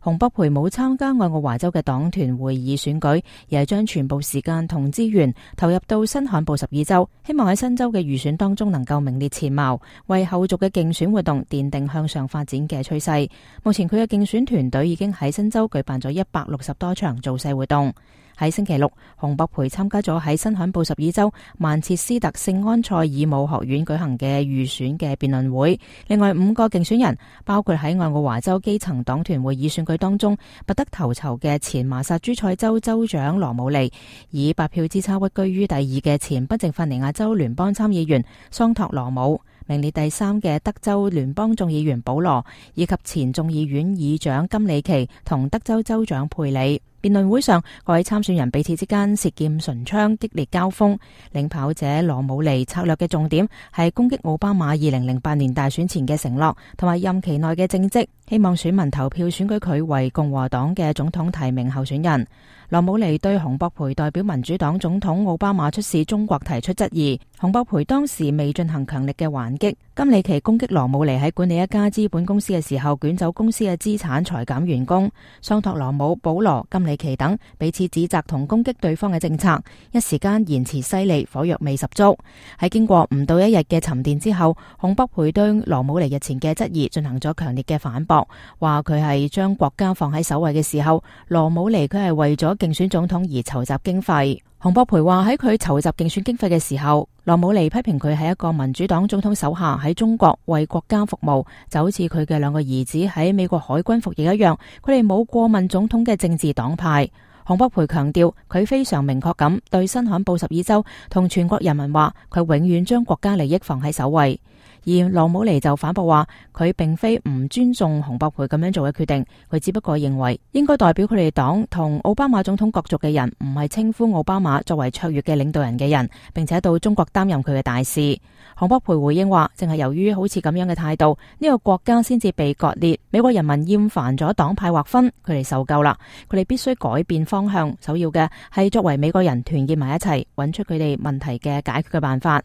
洪博培冇參加愛奧華州嘅黨團會議選舉，而係將全部時間同資源投入到新罕布什爾州，希望喺新州嘅預選當中能夠名列前茅，為後續嘅競選活動奠定向上發展嘅趨勢。目前佢嘅競選團隊已經喺新州舉辦咗160多場造勢活動。喺星期六，洪博培參加咗喺新罕布什爾州曼徹斯特聖安塞爾姆學院舉行嘅預選嘅辯論會。另外5個競選人，包括喺愛奧華州基層黨團會議選舉當中拔得頭籌嘅前麻薩諸塞州州長羅姆尼，以8票之差屈居於第2嘅前賓夕法尼亞州聯邦參議員桑托羅姆，名列第3嘅德州聯邦眾議員保羅，以及前眾議院議長金里奇同德州州長佩里。辯論會上，各位參選人彼此之間舌劍唇槍，激烈交鋒。領跑者羅姆尼策略嘅重點係攻擊奧巴馬2008年大選前嘅承諾同埋任期內嘅政績，希望選民投票選舉佢為共和黨嘅總統提名候選人。羅姆尼對洪博培代表民主黨總統奧巴馬出使中國提出質疑，洪博培當時未進行強力嘅還擊。金里奇攻擊羅姆尼喺管理一家資本公司嘅時候捲走公司嘅資產，裁減員工。桑托羅姆、保羅、金里奇等彼此指責同攻擊對方嘅政策，一時間言辭犀利，火藥味十足。喺經過唔到1日嘅沉澱之後，洪博培對羅姆尼日前嘅質疑進行咗強烈嘅反駁，話佢係將國家放喺首位嘅時候，羅姆尼佢係為咗競選總統而籌集經費。洪博培話喺佢籌集競選經費嘅時候，羅姆尼批評佢係一個民主黨總統手下喺中國為國家服務，就好似佢嘅2個兒子喺美國海軍服役一樣，佢哋冇過問總統嘅政治黨派。洪博培強調佢非常明確咁對新罕布什爾州同全國人民話，佢永遠將國家利益放喺首位。而羅姆尼就反駁話，佢並非唔尊重洪博培咁樣做嘅決定，佢只不過認為應該代表佢哋黨同奧巴馬總統角逐嘅人，唔係稱呼奧巴馬作為卓越嘅領導人嘅人，並且到中國擔任佢嘅大使。洪博培回應話，正係由於好似咁樣嘅態度，呢個國家先至被割裂，美國人民厭煩咗黨派劃分，佢哋受夠啦，佢哋必須改變方向，首要嘅係作為美國人團結埋一齊，揾出佢哋問題嘅解決嘅辦法。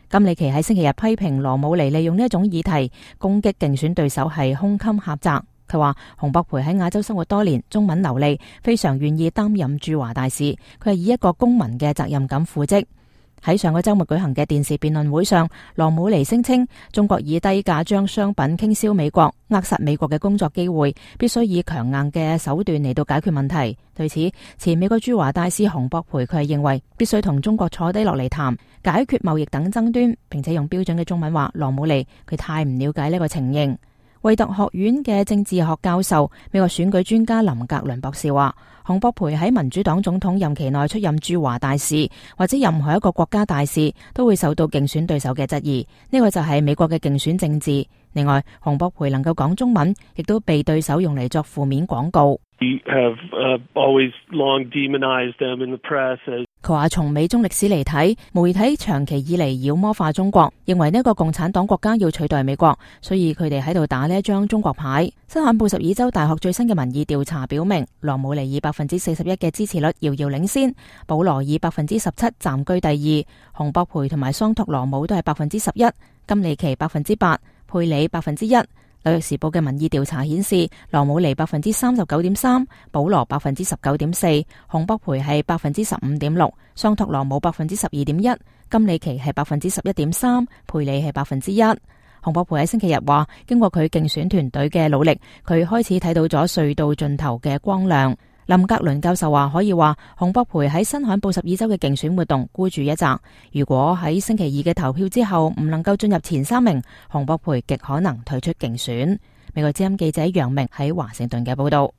金里奇喺星期日批評羅姆尼利用呢一種議題攻擊競選對手係胸襟狹窄。佢話洪博培喺亞洲生活多年，中文流利，非常願意擔任駐華大使，佢係以一個公民嘅責任感赴職。喺上個週末舉行嘅電視辯論會上，羅姆尼聲稱中國以低價將商品傾銷美國，扼殺美國嘅工作機會，必須以強硬嘅手段嚟到解決問題。對此，前美國駐華大使洪博培佢係認為必須同中國坐低落嚟談，解決貿易等爭端，並且用標準嘅中文話羅姆尼佢太唔了解呢個情形。惠特學院嘅政治學教授、美國選舉專家林格倫博士話，洪博培喺民主黨總統任期內出任駐華大使或者任何一個國家大使，都會受到競選對手嘅質疑。呢個就係美國嘅競選政治。另外，洪博培能夠講中文，亦都被對手用嚟作負面廣告。佢話從美中歷史嚟睇，媒體長期以嚟妖魔化中國，認為呢個共產黨國家要取代美國，所以佢哋喺度打呢一張中國牌。新罕布什爾州大學最新嘅民意調查表明，羅姆尼以41%嘅支持率遙遙領先，保羅以17%暫居第2，洪博培同埋桑托羅姆都係11%，金里奇8%，佩里1%。紐約時報嘅民意調查顯示，羅姆尼39.3%，保羅19.4%，洪博培係15.6%，桑托羅姆12.1%，金里奇係11.3%，佩里係1%。洪博培喺星期日話，經過佢競選團隊嘅努力，佢開始睇到咗隧道盡頭嘅光亮。林格倫教授話，可以話洪博培喺新罕布什爾州嘅競選活動孤注一擲。如果喺星期2嘅投票之後唔能夠進入前3名，洪博培極可能退出競選。美國之音記者楊明喺華盛頓嘅報道。